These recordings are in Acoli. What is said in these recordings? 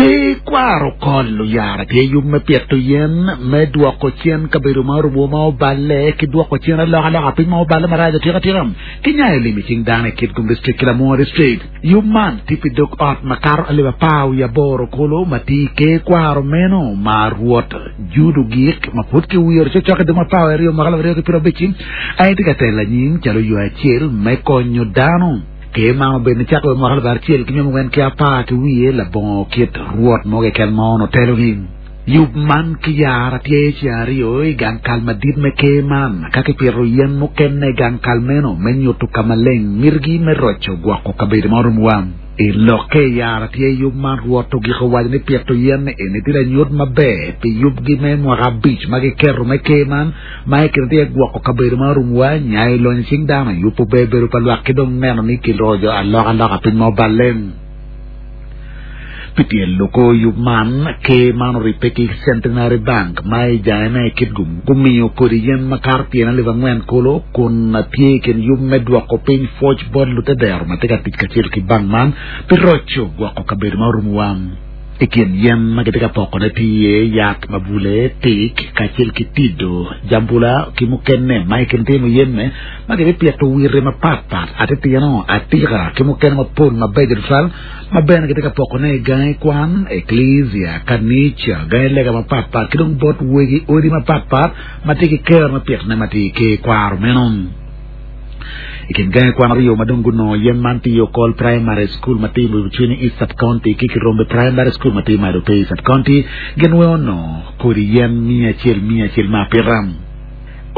Ker kwaro kol oyara tye yub me pito yen me dwoko cen kabedo ma orumo ma oballe ki dwoko cen alokaloka piny ma oballe marac atika tika ki nyayo lim i cing dano i Kitgum District ki Lamwongo District. Yub man tye pi dog ot makato alip 18 kulu ma tye i ker kwaro meno ma Rwot Jude Ogik ma pud kiwiro cokcok i dwe me 12 mwaka 2050 aye tye ka telo anyim calo yo acel me konyo dano. Ker man obedo nicakke wa i mwaka 1914 labongo kit rwot mo keken ma onongo telogi. Yub man kiyaro atyer ceng aryo i gang kal madit me ker man ka kipito yen mukene i gang kal meno me nyuto ka maleng mitigi me roco gwoko kabedo ma orumowa. I lokke i yaro atyer yub man Rwot ogiko waco ni pito yen eni tye lanyut maber pi yubgi me mwaka abic ma giketo me ker man ma i kine tye iye gwoko kabedo ma orumowa, nyayo lonyo cing dano, yubo ber bedo pa lwak ki dong neno ni kiroco alokaloka piny ma oballe. Pi tyen loko yub man, ker man oribbe ki Centenary Bank ma i jange me Kitgum gumiyo kodi yen makato tyen 4,000 kulu kun tye i kin yub me dwoko piny pwoc bot lutedero ma tye ka tic kacel ki bank man pi roco gwoko kabedo ma orumowa. I kin yen ma kitye ka pokone tye iye yat mabule, tik, kacel ki tido, jambula, ki mukene ma i kin tye muyeme ma kibipito wirre mapatpat, atitino, atika, ki mukene mapol mabeco tutwal ma bene kitye ka pokone i gangi kwan, eklezia, kanica, gangi lega mapatpat, ki dong bot wegi odi mapatpat ma tye ki kero me pitone ma tye i ker kwaro meno. I kin gangi kwan aryo ma dong gunongo yen man tye i Okol Primary School ma tye i Mucwini East Sub-County ki Kirombe Primary School ma tye i Madope East Sub-County, gin weng onongo kodi yen miya acel miya acel me apita.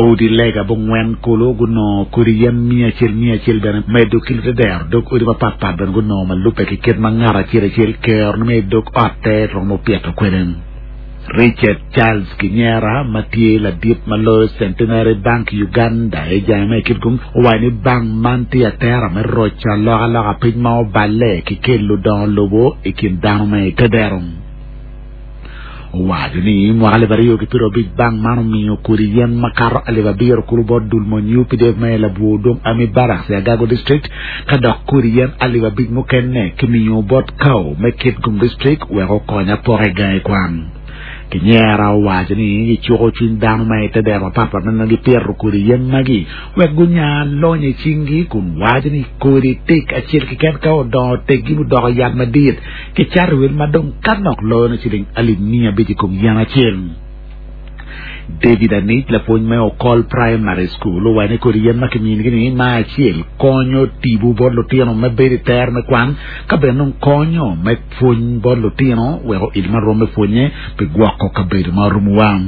Odi lega bongwen kulu gunongo kodi yen miya acel miya acel bene medo ki lutedero dog odi mapat pat bene gunongo ma lubbe ki kit ma ngat acel acel kerone me i dog otte romo pito kwede. Richard Charles Kinyera ma tye ladit ma loyo Centenary Bank Uganda i jange me Kitgum owaco ni bank man tye atera me roco alokaloka piny ma oballe ki kelo dongo lobo i kin dano me i tedero. Owaco ni mwaka 2025 bank man omiyo kodi yen makato 7,000 kulu bot dul mony UPDF ma i Labwor Dong Army Barracks i Agago District ka dok kodi yen 5,000 mukene kimiyo bot Kau me Kitgum District wek okony apoka i gangi kwan. Kinyera owaco ni gicuko cwiny dano ma i te dero mapatpat ma nongo gipito kodi yen magi wek gunya lonyo i cinggi kun waco ni kodi tik acel keken ka odongo oteggi mudoko yat madit kicato i wel ma dong ka nok loyo ni ciling 500,000 i kom yen acel. David Anic, lapwony me Okol Primary School, owaco ni kodi yen ma kiminigi-ni ma acel konyo tipo bot lutino me bedo i tero me kwan ka bene dong konyo me pwony bot lutino wek oil ma rwom me pwonye pi gwoko kabedo ma orumowa.